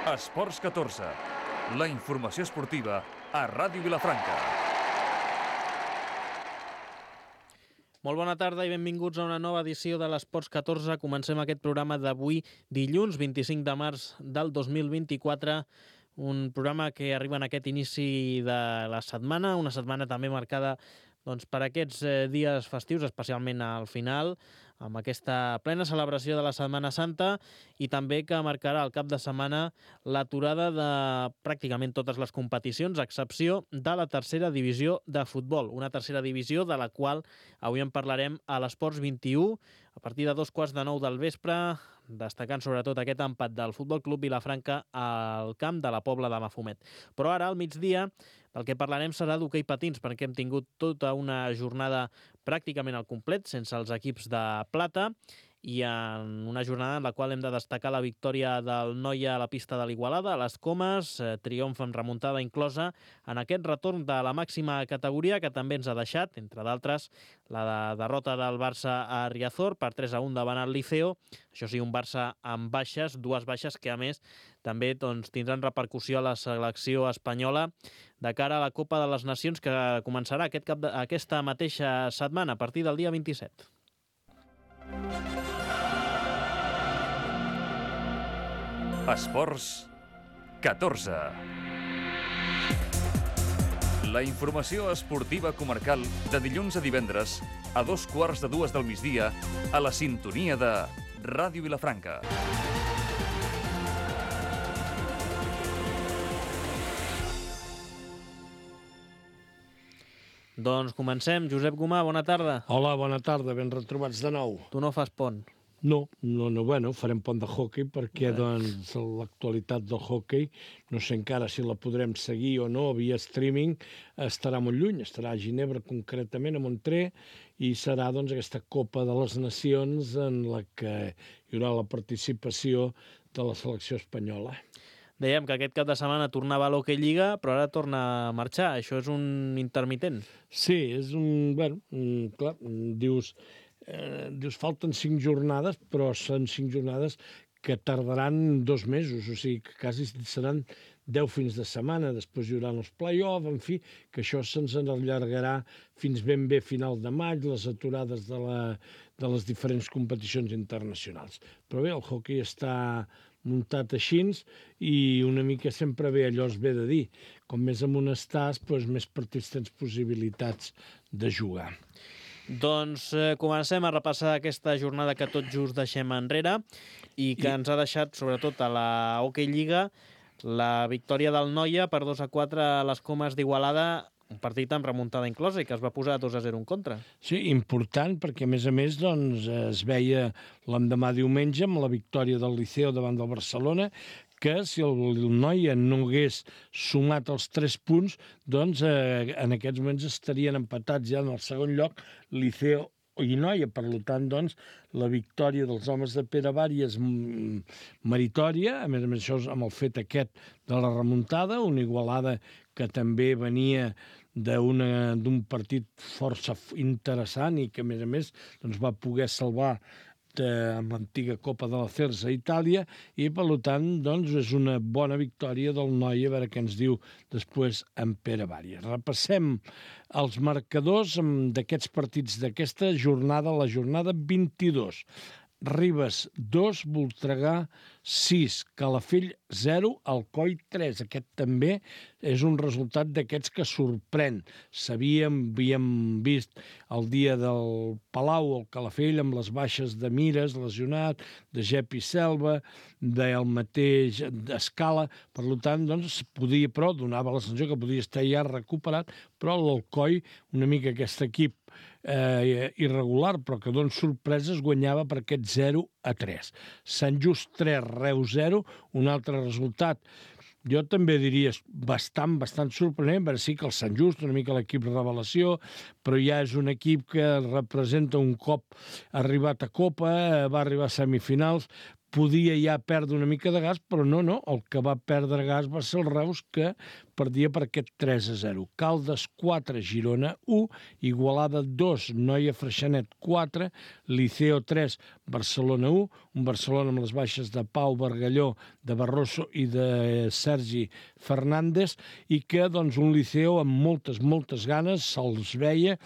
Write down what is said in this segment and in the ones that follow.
Esports 14, la informació esportiva a Ràdio Vilafranca. Molt bona tarda i benvinguts a una nova edició de l'Esports 14. Comencem aquest programa d'avui, dilluns 25 de març del 2024, un programa que arriba en aquest inici de la setmana, una setmana també marcada per aquests dies festius, especialment al final, amb aquesta plena celebració de la Setmana Santa i també que marcarà el cap de setmana l'aturada de pràcticament totes les competicions, a excepció de la tercera divisió de futbol, una tercera divisió de la qual avui en parlarem a l'Esports 21, a partir de 8:45 del vespre, destacant sobretot aquest empat del Futbol Club Vilafranca al camp de la Pobla de Mafumet. Però ara, al migdia, del que parlarem serà d'hoquei patins, perquè hem tingut tota una jornada pràcticament al complet, sense els equips de plata, i en una jornada en la qual hem de destacar la victòria del Noia a la pista de l'Igualada, a les Comes, triomf amb remuntada inclosa en aquest retorn de la màxima categoria que també ens ha deixat, entre d'altres, la derrota del Barça a Riazor per 3-1 davant el Liceo. Això sí, un Barça amb baixes, dues baixes que a més també tindran repercussió a la selecció espanyola de cara a la Copa de les Nacions que començarà aquesta mateixa setmana, a partir del dia 27. Esports 14. La informació esportiva comarcal de dilluns a divendres a 2:15 del migdia a la sintonia de Ràdio Vilafranca. Doncs comencem. Josep Gomà, bona tarda. Hola, bona tarda, ben retrobats de nou. Tu no fas pont? No, bueno, farem pont de hoquei perquè doncs l'actualitat del hoquei, no sé encara si la podrem seguir o no via streaming, estarà molt lluny, estarà a Ginebra concretament, a Montré, i serà doncs aquesta Copa de les Nacions en la que hi haurà la participació de la selecció espanyola. Dèiem que aquest cap de setmana tornava a l'Hockey Lliga, però ara torna a marxar. Això és un intermitent. Sí, és un... Bueno, clar, dius falten 5 jornades, però són 5 jornades que tardaran 2 mesos, o sigui que quasi seran 10 fins de setmana, després hi haurà els play-off, en fi, que això se'ns allargarà fins ben bé final de maig, les aturades de les diferents competicions internacionals. Però bé, el hoquei està muntat així i una mica sempre bé, allò es ve de dir, com més amunt estàs, doncs més partits tens possibilitats de jugar. Doncs comencem a repassar aquesta jornada que tot just deixem enrere i que ens ha deixat, sobretot a la Hockey Lliga, la victòria del Noia per 2-4 a les Comes d'Igualada, un partit amb remuntada inclosa i que es va posar 2-0 en contra. Sí, important, perquè a més doncs, es veia l'endemà diumenge amb la victòria del Liceo davant del Barcelona, que si el Noia no hagués sumat els 3 punts, doncs en aquests moments estarien empatats ja en el segon lloc Liceo i Noia. Per tant, doncs, la victòria dels homes de Pere Bari és meritòria, a més això amb el fet aquest de la remuntada, una Igualada que també venia d'un partit força interessant i que, a més, doncs, va poder salvar amb l'antiga Copa de la Cersa a Itàlia i, per tant, doncs, és una bona victòria del Noia, a veure què ens diu després en Pere Bari. Repassem els marcadors d'aquests partits d'aquesta jornada, la jornada 22. Ribes 2, Voltregà 6, Calafell 0, Alcoi 3. Aquest també és un resultat d'aquests que sorprèn. Havíem vist el dia del Palau, el Calafell, amb les baixes de Mires, lesionat, de Gep i Selva, del mateix Escala. Per tant, doncs, però donava la sensació que podia estar ja recuperat, però l'Alcoi, una mica aquest equip irregular, però que dona sorpreses, guanyava per aquest 0-3. Sant Just 3, Reus 0, un altre resultat jo també diria bastant sorprenent, perquè sí que el Sant Just, una mica l'equip revelació, però ja és un equip que representa un cop arribat a Copa, va arribar a semifinals, podia ja perdre una mica de gas, però no, el que va perdre gas va ser el Reus, que perdia per aquest 3-0. Caldes 4, Girona 1, Igualada 2, Noia Freixenet 4, Liceo 3, Barcelona 1, un Barcelona amb les baixes de Pau Bargalló, de Barroso i de Sergi Fernández, i que doncs, un Liceo amb moltes ganes, se'ls veia,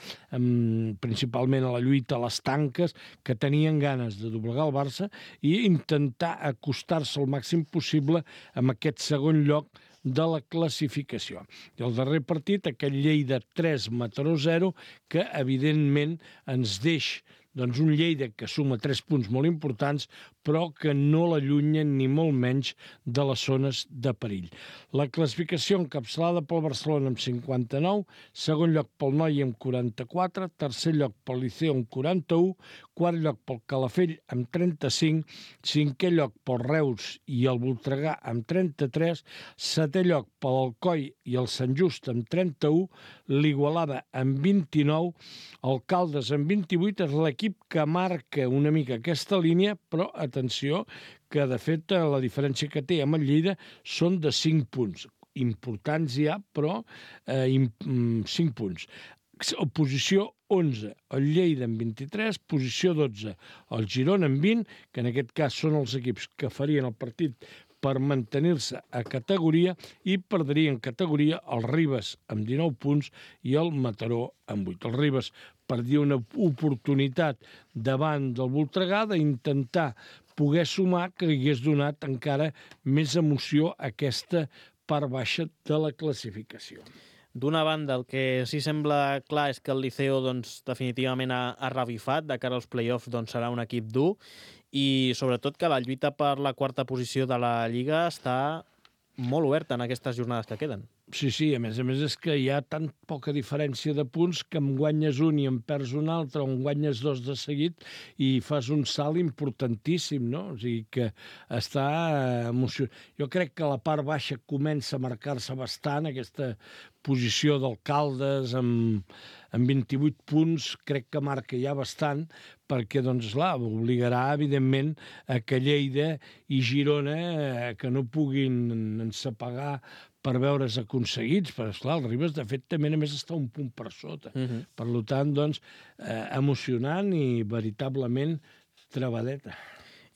principalment a la lluita a les tanques, que tenien ganes de doblegar el Barça i intentar acostar-se al màxim possible amb aquest segon lloc de la classificació. I el darrer partit, aquell Lleida 3, Mataró 0, que evidentment ens deix doncs un Lleida que suma 3 punts molt importants, però que no l'allunyen ni molt menys de les zones de perill. La classificació encapçalada pel Barcelona amb 59, segon lloc pel Noia amb 44, tercer lloc pel Liceo amb 41, quart lloc pel Calafell amb 35, cinquè lloc pel Reus i el Voltregà amb 33, setè lloc pel Alcoi i el Sant Just amb 31, l'Igualada amb 29, el Caldes amb 28, és l'equip que marca una mica aquesta línia, però atenció, que de fet la diferència que té amb el Lleida són de 5 punts. Importants ja, però 5 punts. Posició 11, el Lleida amb 23, posició 12, el Girona amb 20, que en aquest cas són els equips que farien el partit per mantenir-se a categoria, i perdrien categoria el Ribes amb 19 punts i el Mataró amb 8. El Ribes perdia una oportunitat davant del Voltregà d'intentar poder sumar, que hagués donat encara més emoció a aquesta part baixa de la classificació. D'una banda, el que sí sembla clar és que el Liceo doncs, definitivament ha revifat. De cara als play-offs doncs, serà un equip dur, i sobretot que la lluita per la quarta posició de la Lliga està molt oberta en aquestes jornades que queden. Sí, a més és que hi ha tan poca diferència de punts que em guanyes un i em perds un altre, o em guanyes 2 de seguit i fas un salt importantíssim, no? O sigui que està emocionant. Jo crec que la part baixa comença a marcar-se bastant, aquesta posició d'Alcaldes amb 28 punts, crec que marca ja bastant, perquè, doncs, clar, obligarà, evidentment, a que Lleida i Girona que no puguin ensapegar per veure's aconseguits, però, esclar, el Ribes, de fet, també només està un punt per sota. Per tant, doncs, emocionant i veritablement trebadeta.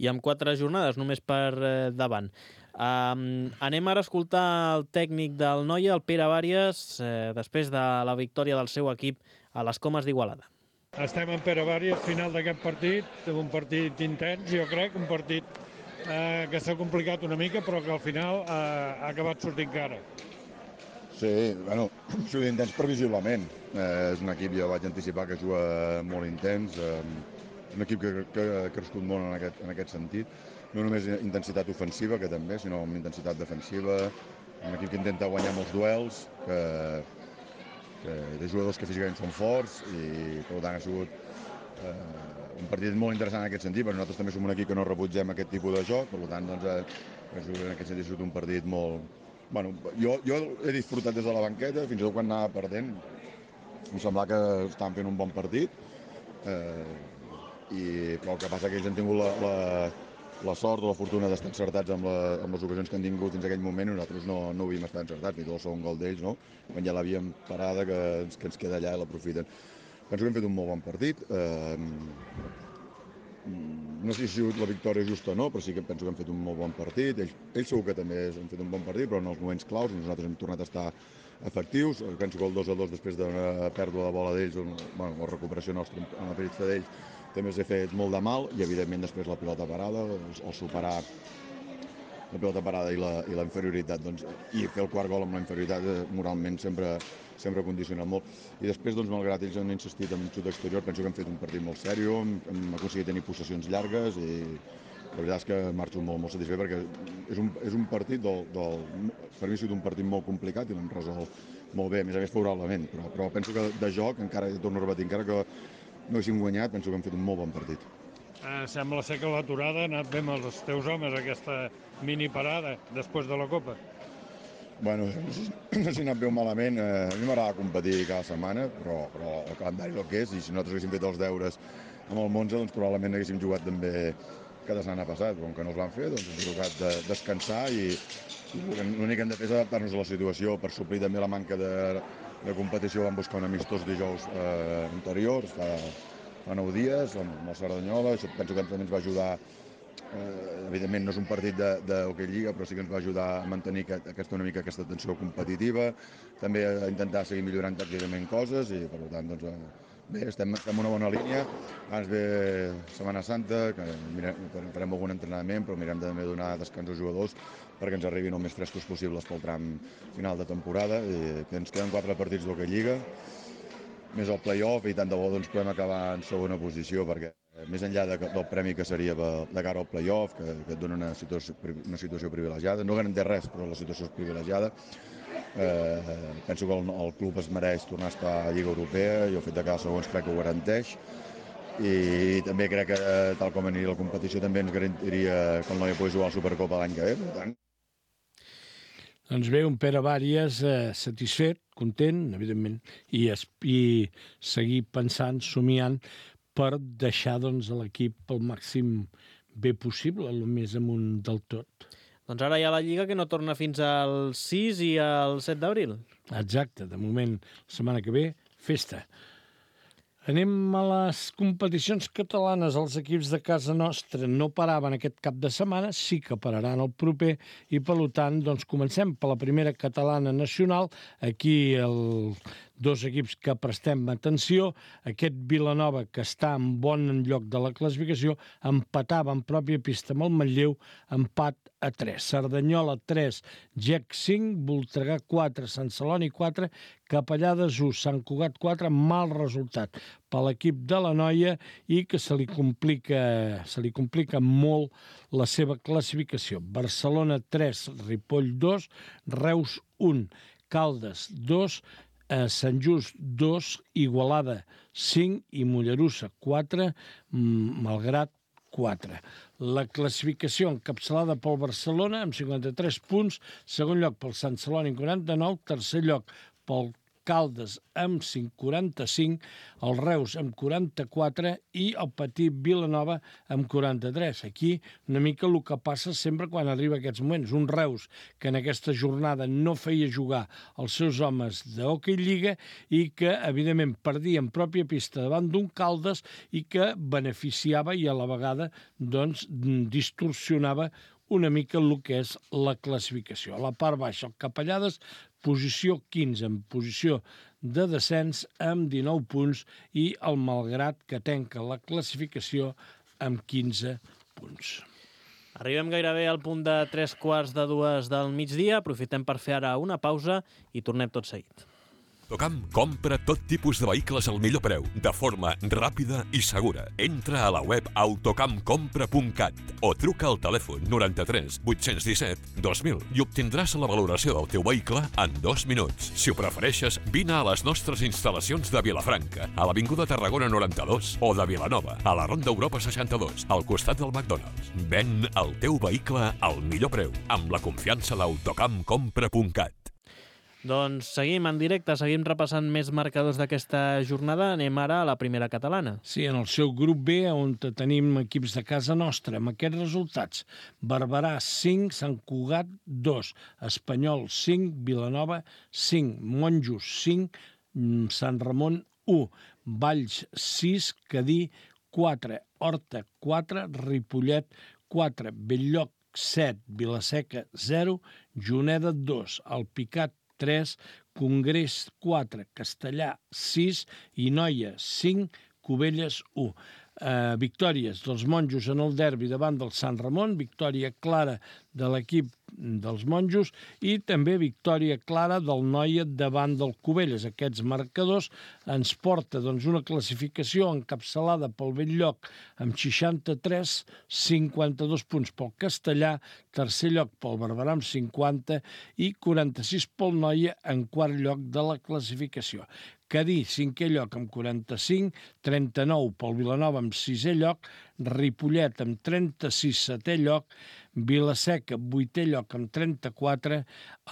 I amb 4 jornades, només per davant. Anem ara a escoltar el tècnic del Noia, el Pere Bàries, després de la victòria del seu equip a les Comes d'Igualada. Estem en Pere Bàries, final d'aquest partit, un partit intens, jo crec, un partit que s'ha complicat una mica, però que al final ha acabat sortint cara. Sí, bueno, surt intens previsiblement. És un equip, ja vaig anticipar, que juga molt intens, un equip que ha crescut molt en aquest sentit. No només intensitat ofensiva, que també, sinó amb intensitat defensiva, un equip que intenta guanyar molts duels, que té jugadors que físicament són forts, i per tant ha sigut un partit molt interessant en aquest sentit, però nosaltres també som un equip que no rebutgem aquest tipus de joc, per tant, doncs, en aquest sentit ha sigut un partit molt... Bueno, jo he disfrutat des de la banqueta, fins i tot quan anava perdent, em semblava que estaven fent un bon partit, però el que passa que ells han tingut la sort o la fortuna d'estar encertats amb les ocasions que han tingut fins a aquell moment, i nosaltres no havíem estat encertats, ni tot el segon gol d'ells, no? Quan ja l'havíem parada, que ens queda allà i l'aprofiten. Penso que hem fet un molt bon partit. No sé si ha sigut la victòria justa o no, però sí que penso que hem fet un molt bon partit. Ells segur que també han fet un bon partit, però en els moments claus nosaltres hem tornat a estar efectius. Penso que el 2-2 després d'una pèrdua de bola d'ells, la recuperació nostra en la petita d'ells, també els ha fet molt de mal, i evidentment després la pilota parada, el superar la pilota parada i la inferioritat, doncs, i fer el quart gol amb la inferioritat moralment sempre ha condicionat molt. I després, doncs, malgrat ells han insistit en un xut exterior, penso que hem fet un partit molt sèrio, hem aconseguit tenir possessions llargues, i la veritat és que marxo molt satisfet, perquè és un partit per mi ha sigut un partit molt complicat i l'hem resolt molt bé, a més favorablement, però penso que de joc, encara torno a repetir, encara que no haguéssim guanyat, penso que hem fet un molt bon partit. Sembla ser que l'aturada ha anat bé amb els teus homes, aquesta mini parada després de la Copa. Bueno, no sé si ha anat bé o malament. A mi m'agrada competir cada setmana, però el calendari és el que és, i si nosaltres haguéssim fet els deures amb el Monza, doncs probablement haguéssim jugat també que de setmana passat. Com que no els van fer, doncs ens ha tocat de descansar i l'únic que hem de fer és adaptar-nos a la situació. Per suplir també la manca de competició vam buscar un amistós dijous anterior, fa 9 dies, amb el Cerdanyola. Això penso que també ens va ajudar. Evidentment no és un partit d'hoquei lliga, però sí que ens va ajudar a mantenir una mica aquesta tensió competitiva, també a intentar seguir millorant tàcticament coses i per tant doncs, bé, estem en una bona línia. Abans ve Setmana Santa, que farem algun entrenament, però mirem també de donar descans als jugadors perquè ens arribin el més frescos possibles pel tram final de temporada, i que ens queden 4 partits d'hoquei lliga, més el play-off, i tant de bo doncs, podem acabar en segona posició, perquè més enllà del premi que seria de cara al play-off, que et dona una situació privilegiada, no garanteix res, però la situació és privilegiada. Penso que el club es mereix tornar a estar a Lliga Europea, i el fet de quedar segons crec que ho garanteix, i també crec que tal com aniria la competició també ens garantiria que el Noia pugui jugar a la Supercopa l'any que ve, per tant. Doncs bé, un Pere Bàries satisfet, content, evidentment, i seguir pensant, somiant, per deixar l'equip el màxim bé possible, el més amunt del tot. Doncs ara hi ha la Lliga que no torna fins al 6 i al 7 d'abril. Exacte, de moment, la setmana que ve, festa. Anem a les competicions catalanes. Els equips de casa nostra no paraven aquest cap de setmana, sí que pararan el proper, i per tant doncs, comencem per la primera catalana nacional. Aquí dos equips que prestem atenció. Aquest Vilanova, que està en bon lloc de la classificació, empatava en pròpia pista amb el Manlleu, empat a 3. Cerdanyola 3, GEC 5, Voltregà 4, Sant Celoni 4, Capellades 1, Sant Cugat 4, mal resultat per l'equip de la Noia i que se li complica molt la seva classificació. Barcelona 3, Ripoll 2, Reus 1, Caldes 2, Sant Just 2, Igualada 5 i Mollerussa 4, Malgrat 4. La classificació encapçalada pel Barcelona amb 53 punts, segon lloc pel Sant Celoni amb 49, tercer lloc pel Caldes amb 45, el Reus amb 44 i el petit Vilanova amb 43. Aquí una mica el que passa sempre quan arriba a aquests moments. Un Reus que en aquesta jornada no feia jugar els seus homes d'hoquei lliga i que, evidentment, perdia en pròpia pista davant d'un Caldes i que beneficiava i a la vegada doncs, distorsionava una mica el que és la classificació. A la part baixa, el Capellades, posició 15, en posició de descens amb 19 punts, i el Malgrat, que tanca la classificació amb 15 punts. Arribem gairebé al punt de 3:45 del migdia. Aprofitem per fer ara una pausa i tornem tot seguit. Autocam compra tot tipus de vehicles al millor preu, de forma ràpida i segura. Entra a la web autocamcompra.cat o truca al telèfon 93 817 2000 i obtindràs la valoració del teu vehicle en 2 minuts. Si ho prefereixes, vine a les nostres instal·lacions de Vilafranca, a l'Avinguda Tarragona 92, o de Vilanova, a la Ronda Europa 62, al costat del McDonald's. Ven el teu vehicle al millor preu, amb la confiança d'autocamcompra.cat. Doncs seguim en directe, seguim repassant més marcadors d'aquesta jornada. Anem ara a la primera catalana. Sí, en el seu grup B, on tenim equips de casa nostra, amb aquests resultats. Barberà 5, Sant Cugat 2, Espanyol 5, Vilanova 5, Monjos 5, Sant Ramon 1, Valls 6, Cadí 4, Horta 4, Ripollet 4, Bell-lloc 7, Vilaseca 0, Juneda 2, Alpicat 3, Congrés 4, Castellà 6 i Noia 5, Cubelles 1. Victòries dels Monjos en el derbi davant del Sant Ramon, victòria clara de l'equip dels Monjos i també victòria clara del Noia davant del Cubelles. Aquests marcadors ens porta una classificació encapçalada pel Bell-lloc amb 63, 52 punts pel Castellà, tercer lloc pel Barberà amb 50 i 46 pel Noia en quart lloc de la classificació. Cadí, cinquè lloc amb 45, 39 pel Vilanova amb sisè lloc, Ripollet amb 36, setè lloc, Vilaseca, vuitè lloc amb 34,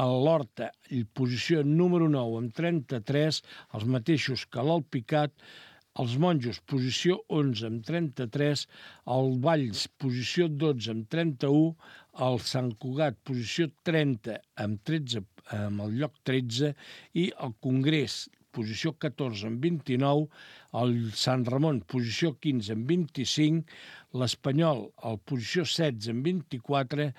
l'Horta, posició número 9 amb 33, els mateixos que l'Alpicat, Els Monjos, posició 11 amb 33, el Valls, posició 12 amb 31, el Sant Cugat, posició 30 amb 13, amb el lloc 13, i el Congrés, posició 14 amb 29, el Sant Ramon, posició 15 amb 25, l'Espanyol, el posició 16 amb 24,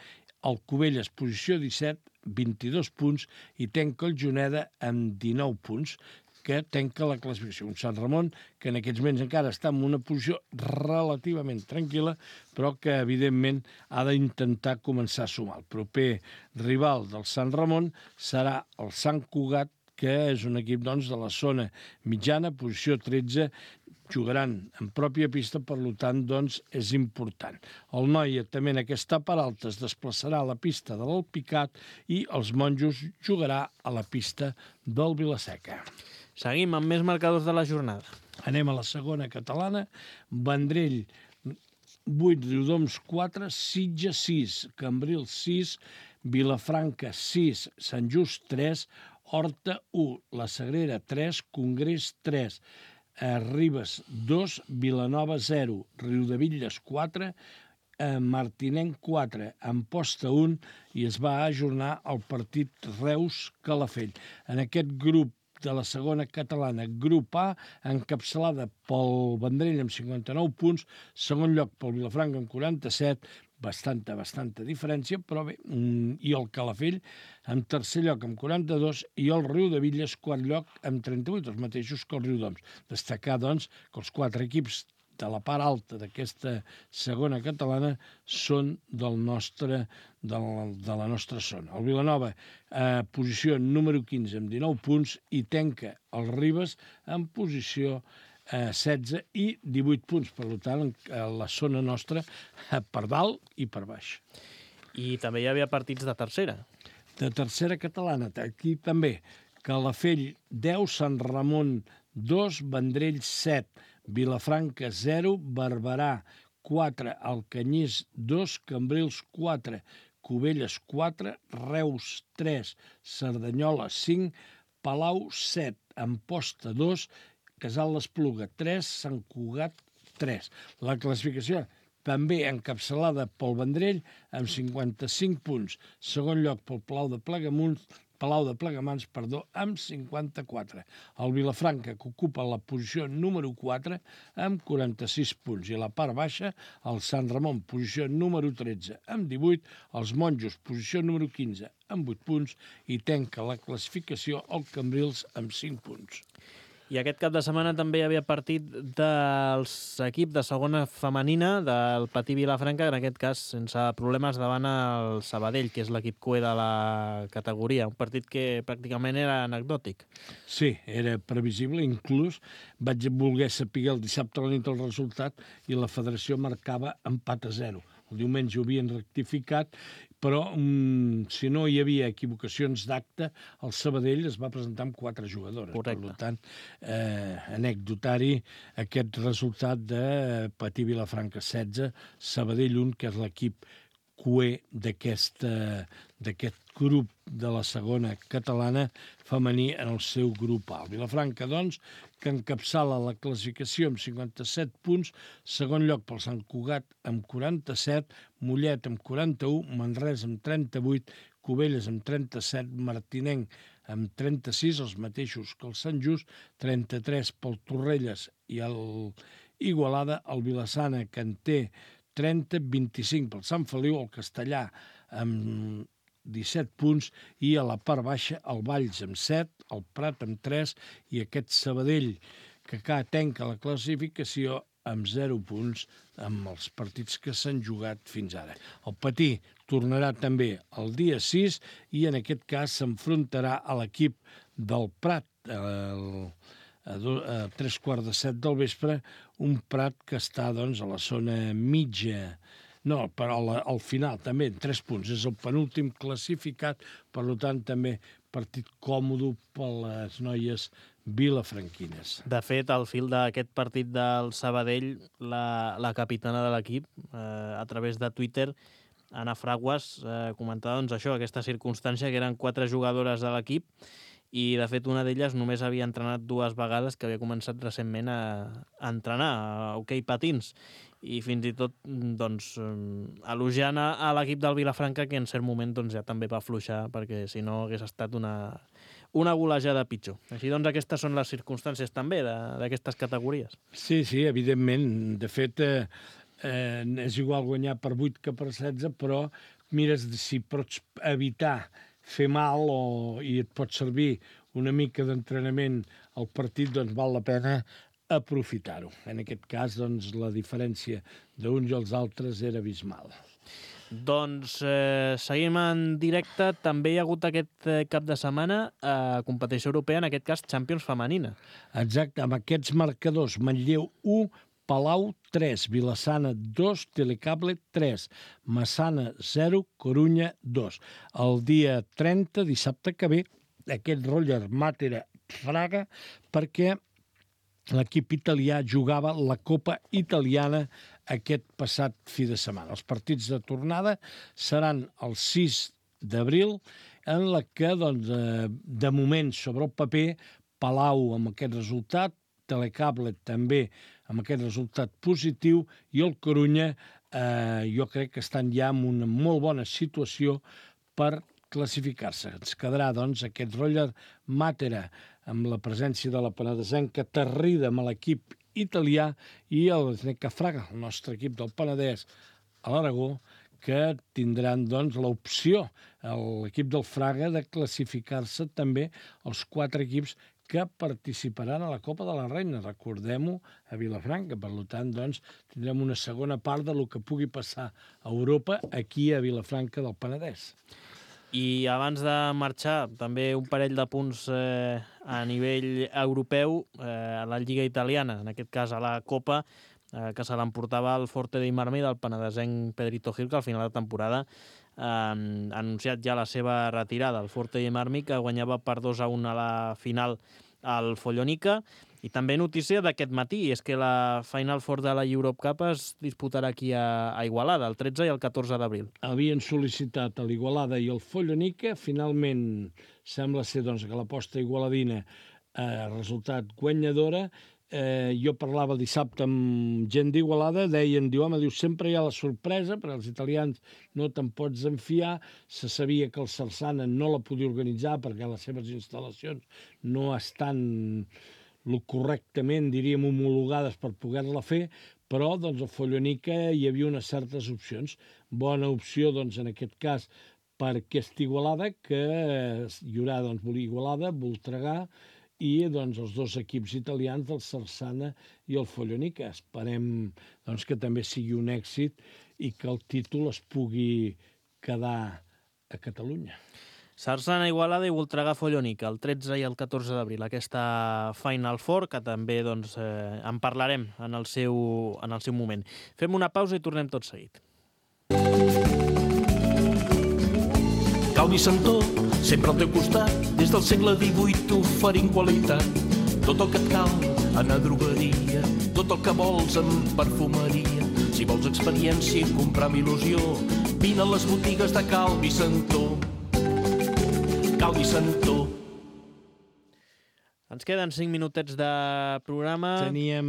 el Cubelles, posició 17, 22 punts, i tanca el Juneda amb 19 punts, que tanca la classificació. Un Sant Ramon que en aquests moments encara està en una posició relativament tranquil·la, però que, evidentment, ha d'intentar començar a sumar. El proper rival del Sant Ramon serà el Sant Cugat, que és un equip doncs, de la zona mitjana, posició 13, jugaran en pròpia pista, per tant, doncs, és important. El Noia també en aquesta part alta es desplaçarà a la pista de l'Alpicat i els Monjos jugarà a la pista del Vilaseca. Seguim amb més marcadors de la jornada. Anem a la segona catalana. Vendrell 8, Riudoms 4, Sitges 6, Cambrils 6, Vilafranca 6, Sant Just 3, Horta 1, La Sagrera 3, Congrés 3, Ribes 2, Vilanova 0, Riudebitlles 4, Martinenc 4, Amposta 1, i es va ajornar el partit Reus-Calafell. En aquest grup de la segona catalana, grup A, encapçalada pel Vendrell amb 59 punts, segon lloc pel Vilafranca amb 47, bastanta diferència, però bé, i el Calafell en tercer lloc amb 42 i el Riudebitlles quart lloc amb 38, els mateixos que el Riudoms. Destacar, doncs, que els 4 equips de la part alta d'aquesta segona catalana són de la nostra zona. El Vilanova, posició número 15 amb 19 punts, i tanca el Ribes en posició 16 i 18 punts. Per tant, la zona nostra per dalt i per baix. I també hi havia partits de tercera. De tercera catalana, aquí també. Calafell 10, Sant Ramon 2, Vendrell 7, Vilafranca 0, Barberà 4, Alcanyís 2, Cambrils 4, Cubelles 4, Reus 3, Cerdanyola 5, Palau 7, Amposta 2, Casal d'Espluga 3, Sant Cugat 3. La classificació també encapçalada pel Vendrell amb 55 punts. Segon lloc pel Palau de Plegamans, amb 54. El Vilafranca, que ocupa la posició número 4, amb 46 punts. I a la part baixa, el Sant Ramon, posició número 13, amb 18. Els Monjos, posició número 15, amb 8 punts. I tanca la classificació el Cambrils amb 5 punts. I aquest cap de setmana també hi havia partit dels equips de segona femenina del Patí Vilafranca, en aquest cas sense problemes davant el Sabadell, que és l'equip cué de la categoria. Un partit que pràcticament era anecdòtic. Sí, era previsible. Inclús vaig voler saber el dissabte a la nit el resultat i la federació marcava empat a 0. El diumenge ho havien rectificat, però si no hi havia equivocacions d'acte, el Sabadell es va presentar amb 4 jugadores. Correcte. Per tant, anecdotari aquest resultat de Patí Vilafranca 16, Sabadell 1, que és l'equip cué d'aquest grup de la segona catalana femení en el seu grup A. El Vilafranca, doncs, que encapçala la classificació amb 57 punts, segon lloc pel Sant Cugat amb 47, Mollet amb 41, Manresa amb 38, Cubelles amb 37, Martinenc amb 36, els mateixos que el Sant Just, 33 pel Torrelles i el Igualada, el Vilassana, que en té 30, 25 pel Sant Feliu, el Castellà amb 17 punts, i a la part baixa el Valls amb 7, el Prat amb 3 i aquest Sabadell, que tanca la classificació amb 0 punts amb els partits que s'han jugat fins ara. El Patí tornarà també el dia 6 i en aquest cas s'enfrontarà a l'equip del Prat a 3:15 del vespre, un Prat que està doncs, a la zona mitja. No, però al final també, 3 punts. És el penúltim classificat, per tant també partit còmode per les noies vilafranquines. De fet, al fil d'aquest partit del Sabadell, la capitana de l'equip, a través de Twitter, Ana Fraguas, comentava doncs, això, aquesta circumstància, que eren 4 jugadores de l'equip i de fet una d'elles només havia entrenat 2 vegades, que havia començat recentment a entrenar a hoquei patins, i fins i tot doncs, elogiant a l'equip del Vilafranca, que en cert moment doncs, ja també va afluixar, perquè si no hagués estat una golejada pitjor. Així doncs aquestes són les circumstàncies també d'aquestes categories. Sí, evidentment. De fet, és igual guanyar per 8 que per 16, però mires si pots evitar fer mal i et pot servir una mica d'entrenament al partit, doncs val la pena aprofitar-ho. En aquest cas, doncs, la diferència d'uns i els altres era abismal. Doncs seguim en directe. També hi ha hagut aquest cap de setmana competició europea, en aquest cas Champions femenina. Exacte, amb aquests marcadors: Manlleu 1, Palau 3, Vilassana 2, Telecable 3, Massana 0, Corunya 2. El dia 30, dissabte que ve, aquest Roger Matera Fraga, perquè l'equip italià jugava la Copa Italiana aquest passat fi de setmana. Els partits de tornada seran el 6 d'abril, en la que, doncs, de moment, sobre el paper, Palau amb aquest resultat, Telecable també amb aquest resultat positiu, i el Corunya jo crec que estan ja en una molt bona situació per classificar-se. Ens quedarà, doncs, aquest Roger Matera amb la presència de la penedesenca Tarrida amb l'equip italià i el Sneca Fraga, el nostre equip del Penedès a l'Aragó, que tindran, doncs, l'opció, l'equip del Fraga, de classificar-se també els 4 equips que participaran a la Copa de la Reina. Recordem-ho, a Vilafranca. Per tant, doncs, tindrem una segona part del que pugui passar a Europa aquí a Vilafranca del Penedès. I abans de marxar, també un parell de punts a nivell europeu a la Lliga Italiana, en aquest cas a la Copa, que se l'emportava el Forte dei Marmi del penedesenc Pedrito Gil, que al final de temporada ha anunciat ja la seva retirada. El Forte dei Marmi, que guanyava per 2-1 a la final al Follonica. I també notícia d'aquest matí, és que la Final Four de la Europe Cup es disputarà aquí a Igualada, el 13 i el 14 d'abril. Havien sol·licitat a l'Igualada i el Follonica. Finalment sembla ser, doncs, que l'aposta igualadina ha resultat guanyadora. Jo parlava dissabte amb gent d'Igualada, diu, sempre hi ha la sorpresa, perquè els italians no te'n pots enfiar. Se sabia que el Sarsana no la podia organitzar perquè les seves instal·lacions no estan correctament, diríem, homologades per poder-la fer, però, doncs, a Follonica hi havia unes certes opcions. Bona opció, doncs, en aquest cas, per aquesta Igualada, que hi haurà, doncs, Igualada, Voltregà, i, doncs, els dos equips italians del Sarsana i el Follonica. Esperem, doncs, que també sigui un èxit i que el títol es pugui quedar a Catalunya. Sarsana, Igualada i Voltregà, Follonica, el 13 i el 14 d'abril. Aquesta Final Four, que també, doncs, en parlarem en el seu moment. Fem una pausa i tornem tot seguit. Calvi Santó, sempre al teu costat, des del segle XVIII oferint qualitat. Tot el que et cal en a drogueria, tot el que vols en perfumeria. Si vols experiència i comprar amb il·lusió, vine a les botigues de Calvi Santó. Calvi Santó. Ens queden 5 minutets de programa. Teníem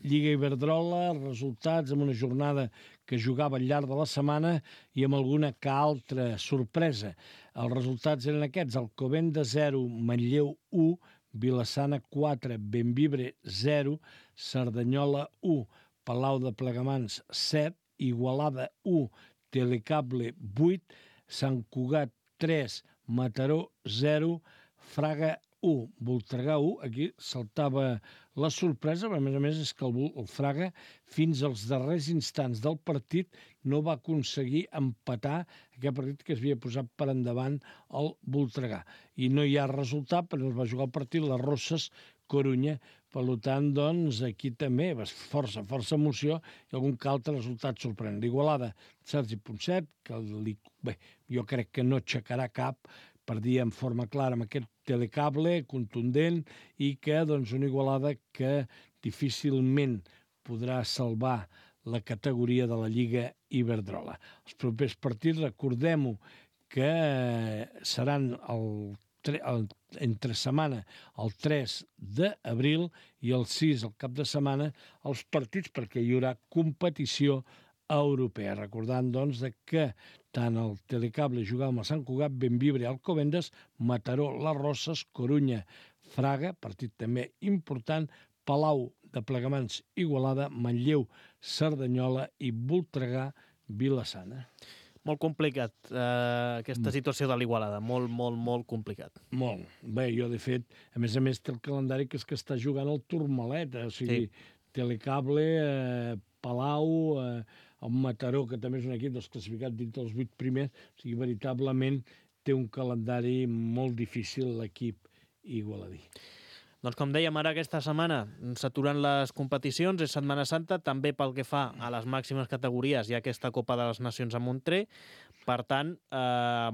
Lliga Iberdrola, resultats amb una jornada que jugava al llarg de la setmana i amb alguna que altra sorpresa. Els resultats eren aquests: Alcobendas 0, Manlleu 1, Vilassana 4, Bembibre 0, Cerdanyola 1, Palau de Plegamans 7, Igualada 1, Telecable 8, Sant Cugat 3, Mataró 0, Fraga 1, Voltregà 1. Aquí saltava la sorpresa, però a més és que el Fraga fins als darrers instants del partit no va aconseguir empatar aquest partit que es havia posat per endavant el Voltregà. I no hi ha resultat, però es va jugar el partit les Rosses Corunya. Per tant, doncs, aquí també força emoció i algun que altre resultat sorprenent. L'Igualada, Sergi Ponset, que jo crec que no aixecarà cap, perdia en forma clara amb aquest Telecable contundent, i que, doncs, una Igualada que difícilment podrà salvar la categoria de la Lliga Iberdrola. Els propers partits, recordem-ho, que seran el entre setmana el 3 d'abril i el 6, el cap de setmana, els partits perquè hi haurà competició europea. Recordant, doncs, que tant el Telecable jugava amb el Sant Cugat, Bembibre, Alcobendas, Mataró, Les Roses, Corunya, Fraga, partit també important, Palau de Plegamans, Igualada, Manlleu, Cerdanyola i Voltregà, Vila-sana. Molt complicat, aquesta situació de l'Igualada. Molt complicat. Molt. Bé, jo, de fet, a més té el calendari que és que està jugant el Tourmalet, o sigui, Telecable, Palau, el Mataró, que també és un equip dels classificats dins dels 8 primers, o sigui, veritablement té un calendari molt difícil l'equip igualadí. Doncs com dèiem, ara aquesta setmana s'aturen les competicions, és Setmana Santa, també pel que fa a les màximes categories hi ha aquesta Copa de les Nacions a Montré. Per tant,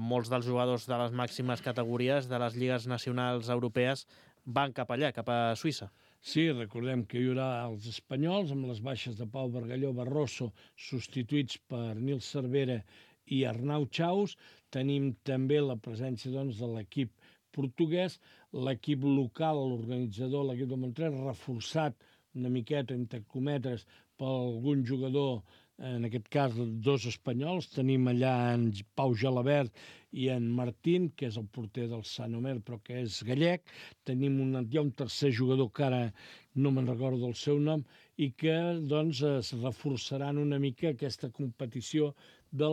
molts dels jugadors de les màximes categories de les lligues nacionals europees van cap allà, cap a Suïssa. Sí, recordem que hi haurà els espanyols amb les baixes de Pau Bargalló, Barroso, substituïts per Nil Cervera i Arnau Chaus. Tenim també la presència, doncs, de l'equip portuguès, l'equip local, l'organitzador, l'equip de Montreal, reforçat una miqueta, entre cometes, per algun jugador, en aquest cas 2 espanyols. Tenim allà en Pau Gelabert i en Martín, que és el porter del Sant Omer, però que és gallec. Tenim hi ha un tercer jugador que ara no me'n recordo el seu nom, i que doncs es reforçaran una mica aquesta competició de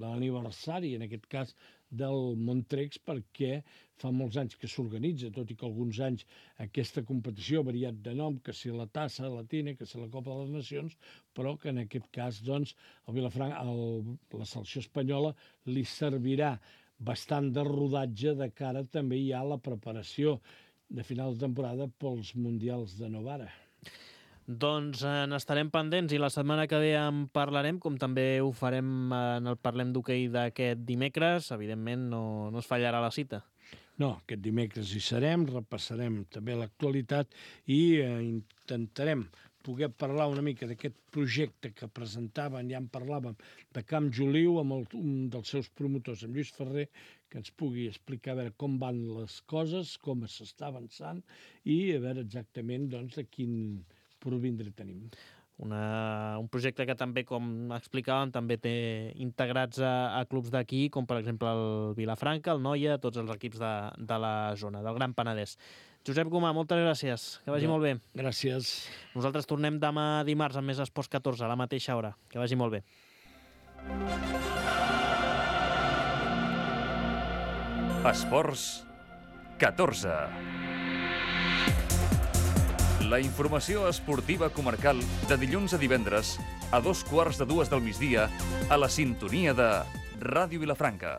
l'aniversari, en aquest cas del Montrex, perquè fa molts anys que s'organitza, tot i que alguns anys aquesta competició ha variat de nom, que si la Tassa Latina, que si la Copa de les Nacions, però que en aquest cas, doncs, el Vilafranca, la selecció espanyola li servirà bastant de rodatge de cara també ja a la preparació de final de temporada pels Mundials de Novara. Doncs n'estarem pendents i la setmana que ve en parlarem, com també ho farem en el Parlem d'Hoquei d'aquest dimecres. Evidentment no es fallarà la cita. No, aquest dimecres hi serem, repassarem també l'actualitat i intentarem poder parlar una mica d'aquest projecte que presentaven, ja en parlàvem, de Camp Joliu, amb un dels seus promotors, amb Lluís Ferrer, que ens pugui explicar a veure com van les coses, com s'està avançant i a veure exactament doncs, de quin provindre tenim. Un projecte que també, com explicàvem, també té integrats a clubs d'aquí, com per exemple el Vilafranca, el Noia, tots els equips de la zona, del Gran Penedès. Josep Gomà, moltes gràcies, que vagi molt bé. Gràcies. Nosaltres tornem demà dimarts amb més Esports 14, a la mateixa hora. Que vagi molt bé. Esports 14. La informació esportiva comarcal de dilluns a divendres a 2:15 del migdia a la sintonia de Ràdio Vilafranca.